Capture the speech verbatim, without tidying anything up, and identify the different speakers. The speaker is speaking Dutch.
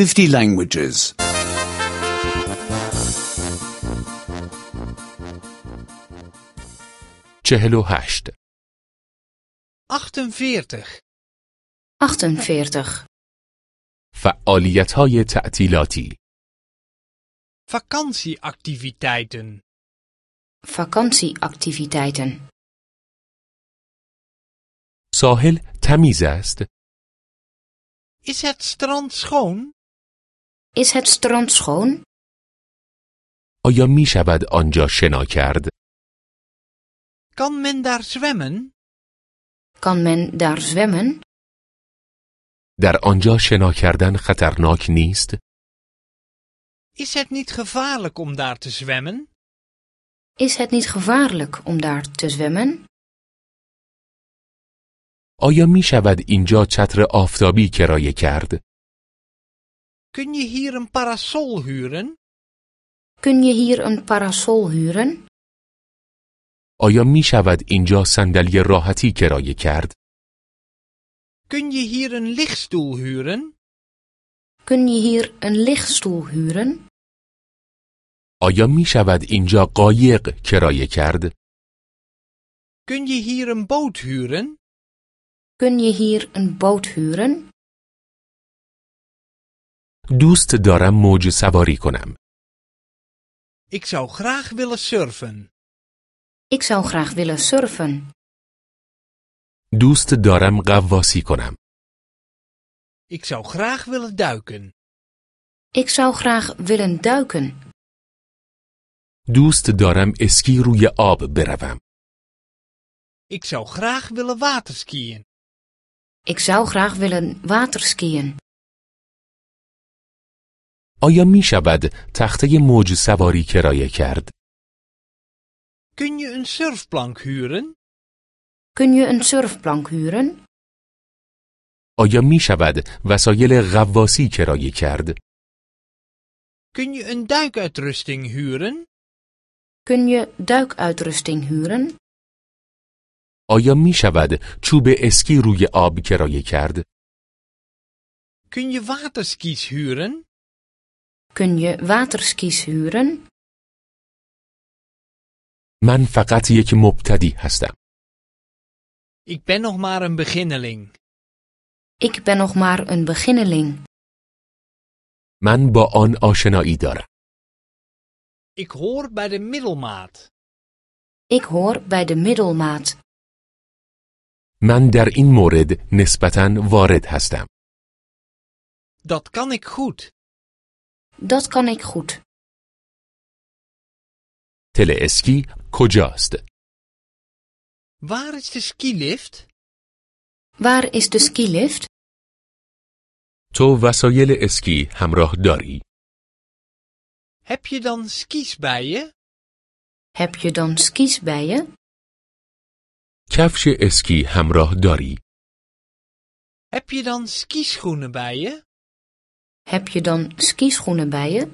Speaker 1: fifty languages.
Speaker 2: چهل و هشت.
Speaker 3: achtenveertig.
Speaker 4: achtenveertig.
Speaker 2: فعالیت‌های تعطیلاتی.
Speaker 3: Vakantieactiviteiten.
Speaker 4: Vakantieactiviteiten.
Speaker 2: ساحل تمیز است.
Speaker 3: Is het strand schoon?
Speaker 4: Is het strand schoon?
Speaker 2: آیا می شود آنجا شنا کرد؟
Speaker 3: Kan men daar zwemmen?
Speaker 4: Kan men daar zwemmen?
Speaker 2: در آنجا شنا کردن خطرناک نیست؟
Speaker 3: Is het niet gevaarlijk om daar te zwemmen?
Speaker 4: Is het niet gevaarlijk om daar te zwemmen?
Speaker 2: آیا می شود اینجا چتر آفتابی کرایه کرد؟
Speaker 3: Kun je hier een parasol huren?
Speaker 4: Kun je hier een parasol huren?
Speaker 2: آیا می شود اینجا صندلی راحتی کرایه کرد؟
Speaker 3: Kun je hier een lichtstoel huren?
Speaker 4: Kun je hier een lichtstoel huren?
Speaker 2: آیا می شود اینجا قایق کرایه کرد؟
Speaker 3: Kun je hier een boot huren?
Speaker 4: Kun je hier een boot huren?
Speaker 2: دوست دارم موج سواری کنم.
Speaker 3: Ik zou graag willen surfen.
Speaker 4: Ik zou graag willen surfen.
Speaker 2: دوست دارم غواصی کنم.
Speaker 3: Ik zou graag willen duiken.
Speaker 4: Ik zou graag willen duiken.
Speaker 2: دوست دارم اسکی روی آب بروم.
Speaker 3: Ik zou graag willen waterskiën.
Speaker 4: Ik zou graag willen waterskiën.
Speaker 2: آیا می شود تخته موج سواری کرایه کرد؟
Speaker 3: Kun je een surfplank huren?
Speaker 4: Kun je een surfplank huren?
Speaker 2: آیا می شود وسایل غواصی کرایه کرد؟
Speaker 3: Kun je een duikuitrusting huren?
Speaker 4: Kun je duikuitrusting huren?
Speaker 2: آیا می شود چوب اسکی روی آب کرایه کرد؟
Speaker 3: Kun je waterskis huren?
Speaker 4: Kun je waterskis huren?
Speaker 2: من فقط یک مبتدی هستم.
Speaker 3: Ik ben nog maar een beginneling.
Speaker 4: Ik ben nog maar een beginneling.
Speaker 2: من با آن آشنایی دارم.
Speaker 3: Ik hoor bij de middelmaat.
Speaker 4: Ik hoor bij de middelmaat.
Speaker 2: من در این مورد نسبتاً وارد هستم.
Speaker 3: Dat kan ik goed.
Speaker 4: Dat kan ik goed.
Speaker 2: تل اسکی کجاست؟
Speaker 3: Waar is de skilift?
Speaker 4: Waar is de skilift?
Speaker 2: تو وسایل اسکی همراه داری؟
Speaker 3: Heb je dan skis bij je?
Speaker 4: Heb je dan skis bij je?
Speaker 2: کفش اسکی همراه داری؟
Speaker 3: Heb je dan skischoenen bij je?
Speaker 4: Heb je dan skischoenen bij je?